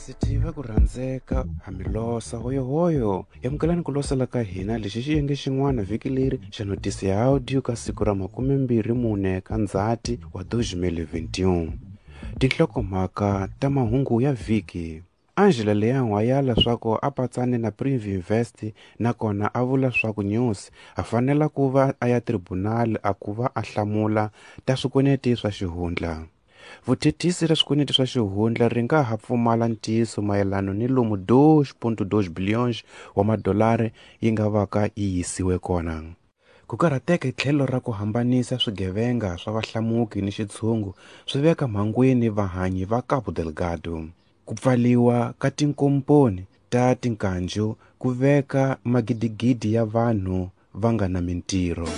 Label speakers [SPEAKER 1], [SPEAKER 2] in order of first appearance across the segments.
[SPEAKER 1] Vasiti va ku rhandzeka hamilosa hoyohoyo amukelani ku losela ka hina lexi xiyenge xin'wana vhiki leri xa notisi ya audio ka siku ra 24 ka Ndzhati wa 2021. Tinhlokomhaka ta mahungu ya vhiki. Angela Leão a yala swaku a patsane na Privinvest nakona a vula swaku News a fanela ku va a ya tribunal a ku va a hlamula ta swikweleti swa xihundla. Vuthethisi ra swikweleti swa xihundla ri nga ha pfumala ntiyiso mayelana ni lomu 2.2 billions wa madolari yi nga vaka yi yisiwe kona. Ku karhateka hi tlhelo ra ku hambanisa swigevenga swa vahlamuki ni xitshungu swi veka mhangwini vahanyi va Cabo Delgado. Ku pfaliwa ka tinkomponi ta tinkanju ku veka magidigidi ya vanhu va nga na mintirho.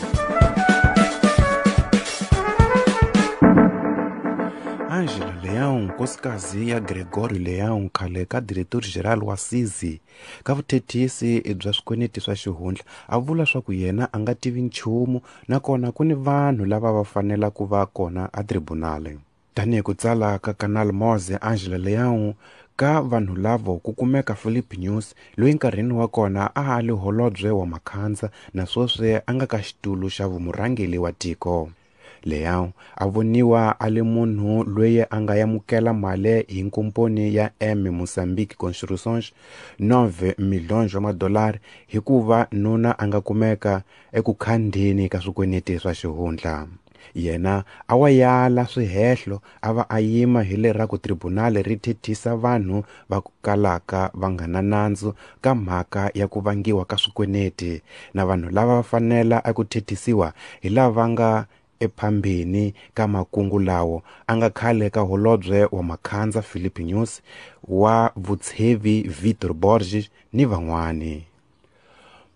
[SPEAKER 1] Angela Leão, nkosikazi ya Gregorio Leão, khale ka diretor-geral wa SISI ka vuthethisi bya swikweleti swa xihundla, a vula swaku yena a nga tivi nchumu nakona ku ni vanhu lava va fanela ku va kona a tribunal. Tanihi ku tsala ka Canal Moze, Angela Leão ka vanhu lavo ku kumeka Philip News loyi nkarhini wa kona a a li holobye wa Makhandza na sweswi a nga ka xitulu xa vumurhangeri wa tiko. Leão a voniwa a li munhu loyi a nga amukela mali hi nkomponi ya M Mozambique Construções 9 milhões wa madolari hikuva nuna a nga kumeka eku khandeni ka swikweleti swa xihundla. Yena a wa yala swihehlo a va a yima hi leraku tribunal ri thethisa vanhu va ku kalaka va nga na nandzu ka mhaka ya ku vangiwa ka swikweleti na vanhu lava va fanela eku thethisiwa hi lava nga ephambeni ka makungu lawo a nga khale ka holobye wa Makhandza Philip News wa vutshevi Vitor Borges ni van'wani.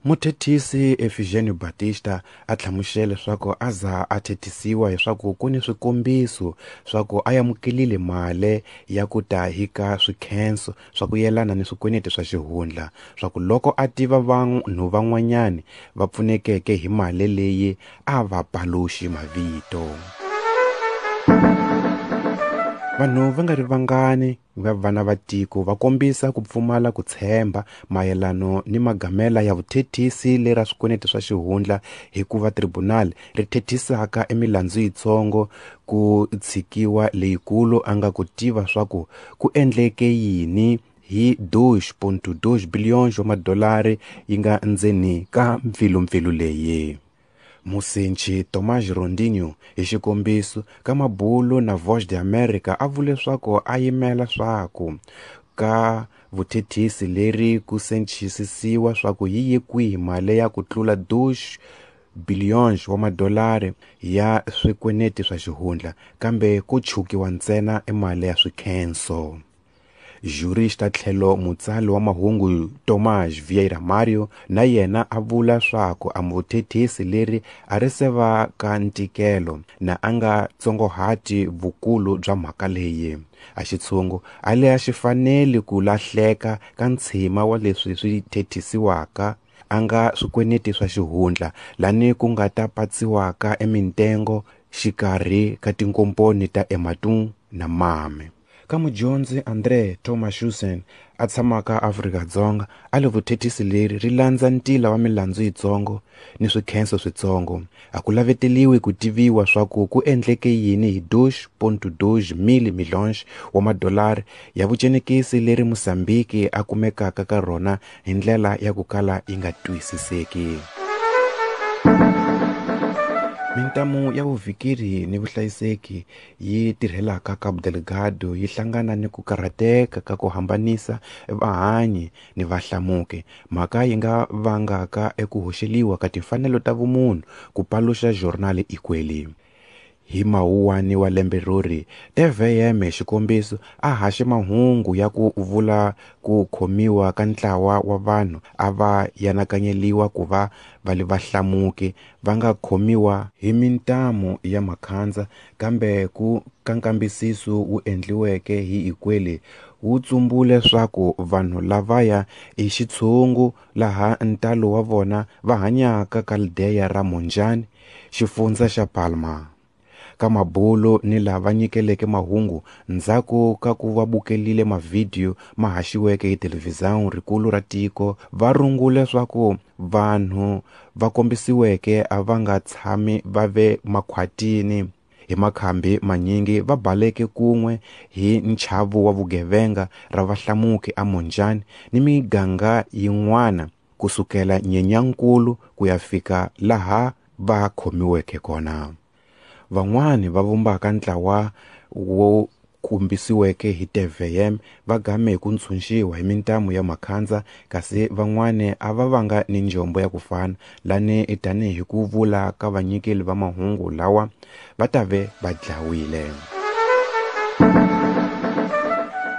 [SPEAKER 1] Muthethisi Efigênio Batista a hlamusele leswaku a za a thethisiwa hiswaku ku ni swikombiso swa ku a amukelile mali ya ku ta hi ka swikhenso swa ku yelana ni swikweleti swa xihundla swa ku loko a tiva vanhu van'wanyani va pfunekeke hi mali leyi a va paluxi mavito. Vanhu va nga ri vangani va vana va tiko va kombisa ku pfumala ku tshemba mayelano ni magamela ya vuthethisi lera swikweleti swa xihundla hikuva tribunal ri thethisaka emilandzu yitsongo ku tshikiwa leyikulu a nga ku tiva swaku ku endleke yini hi 2.2 billions wa madolari yi nga ndzeni ka mpfilumpfilu leyi. Musenchi Tomás Rondinho hi xikombiso ka mabulu na Voz de America a vule swaku a yimela swaku ka vuthethisi leri ku senchisisiwa swaku yi ye kwihi mali ya ku tlula 2 billions wa madolari ya swikweleti swa xihundla kambe ku chukiwa ntsena emali ya swikhenso. Jurista tlhelo mutsali wa mahungu Tomás Vieira Mario na yena a vula swaku a vuthethisi leri a ri se va ka ntikelo na a nga tsongohati vukulu bya mhaka leyi. A xitshungu a le a xi faneli ku lahleka ka ntshima wa leswi swi thethisiwaka a nga swikweleti swa xihundla lani ku nga ta patsiwaka emintengo xikarhi ka tinkomponi ta Ematum na Mame. Ka mudyondzi André Thomas a tshamaka Afrika-Dzonga a le vuthethisi leri ri landza ntila wa milandzu yitsongo ni swikhenso switsongo. A ku laveteliwi ku tiviwa swaku ku endleke yini hi 2.2 mil milhões wa madolari ya vucenekisi leri Mozambique a kumekaka ka rona hi ndlela ya ku kala yi nga twisiseki. Mintamu ya vuvikiri ni vuhlayiseki yi tirhelaka Cabo Delgado yi hlangana ni ku karhateka ka ku hambanisa vahanyi ni vahlamuki, mhaka yi nga vangaka eku hoxeliwa ka timfanelo ta vumunhu ku paluxa Jornal Ikweli. Hi mawuwani wa lembe rori, TVM xikombiso a haxe mahungu ya ku vula ku khomiwa ka ntlawa wa vanhu a va yanakanyeliwa ku va va li vahlamuki va nga khomiwa hi mintamu ya Makhandza, kambe ku ka nkambisiso wu endliweke hi Ikweli wu tsumbule swaku vanhu lavaya i xitshungu laha ntalo wa vona va hanyaka ka Aldeia ra Monjane, xifundza xa Palma. Ka mabulo ni lava nyikeleke mahungu ndzhaku ka ku va bukelile mavhidiyo ma haxiweke hi televhizão rikulu ra tiko, va rungule swa ku vanhu va kombisiweke a va nga tshami va ve makhwatini. Hi makhambi manyingi va baleke kun'we hi nchavu wa vugevenga ra vahlamuki a Monjane ni miganga yin'wana kusukela Nyenyankulu ku ya fika laha va khomiweke kona. Van'wani va vumbaka ntlawa wo kombisiweke hi TVM va game hi ku ntshunxiwa hi mintamu ya makhandza, kasi van'wani a va vanga ni njombo ya ku fana lani tanihi ku vula ka vanyikeli va mahungu lawa va ta ve va dlawile.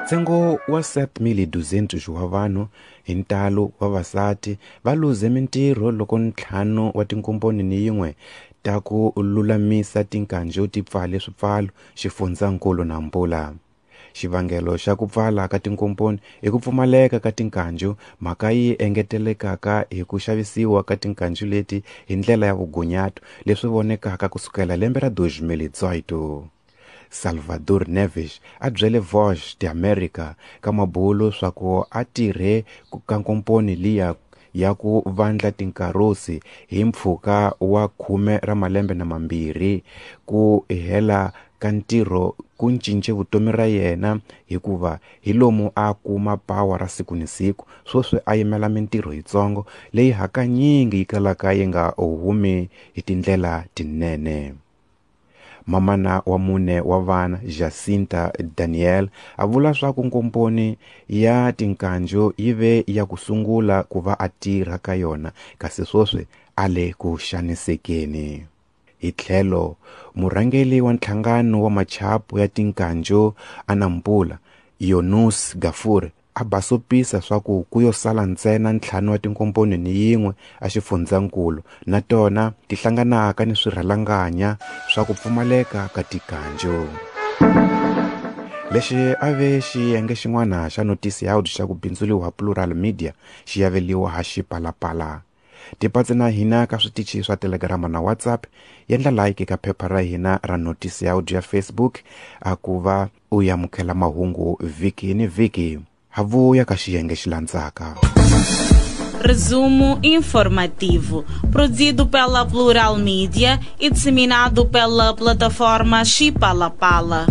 [SPEAKER 1] Ntsengo wa 7.200 wa vanhu hi ntalo vavasati va luze mintirho loko 5 wa tinkomponi ni yin'we ta ku lulamisa tinkanjo ti pfale swipfalo xifundzankulu Nampula. Xivangelo xa ku pfala ka tinkomponi i ku pfumaleka ka tinkanjo, mhaka yi engetelekaka hi ku xavisiwa ka tinkanjo leti hi ndlela ya vugunyato leswi vonekaka kusukela lembe ra 2018. Salvador Neves a byele Voz de América ka mabulo swa ku a tirhe ka nkomponi liya ya ku vandla tinkarosi hi mpfhuka wa 12 ra malembe na mambirhi. Ku hela ka ntirho ku cince vutomi ra yena hikuva hi lomu a kuma pawa ra siku ni siku, sweswi a yimela mintirho yitsongo leyi hakanyingi yi kalaka yi nga humi hi tindlela tinene. Mamana wa 4 wa vana Jacinta Daniel a vula swa ku nkomponi ya tinkanjo yi ve ya ku sungula ku va a tirha ka yona, kasi sweswi a le ku xanisekeni. Hi tlhelo murhangeri wa nhlangano wa machapu ya tinkanjo a Nampula Yunus Gafur a basopisa swa ku ku yo sala ntsena 5 wa tinkomponi ni yin'we a xifundzankulu, na tona ti hlanganaka ni swirhalanganya swa ku pfumaleka ka tikanjo. Lexi a ve xiyenge xin'wana xa notisi ya xa ku bindzuriwa Plural Media xi yaveliwa ha Xipalapala. Tipatsi na hina ka switichi swa Telegram na WhatsApp, yendla like ka phepha ra hina ra notisi ya audio ya Facebook a ku va u yamukela mahungu vhiki ni vhiki. Havuya ka xiyenge xi landzaka.
[SPEAKER 2] Resumo informativo, produzido pela Plural Media e disseminado pela plataforma Xipalapala.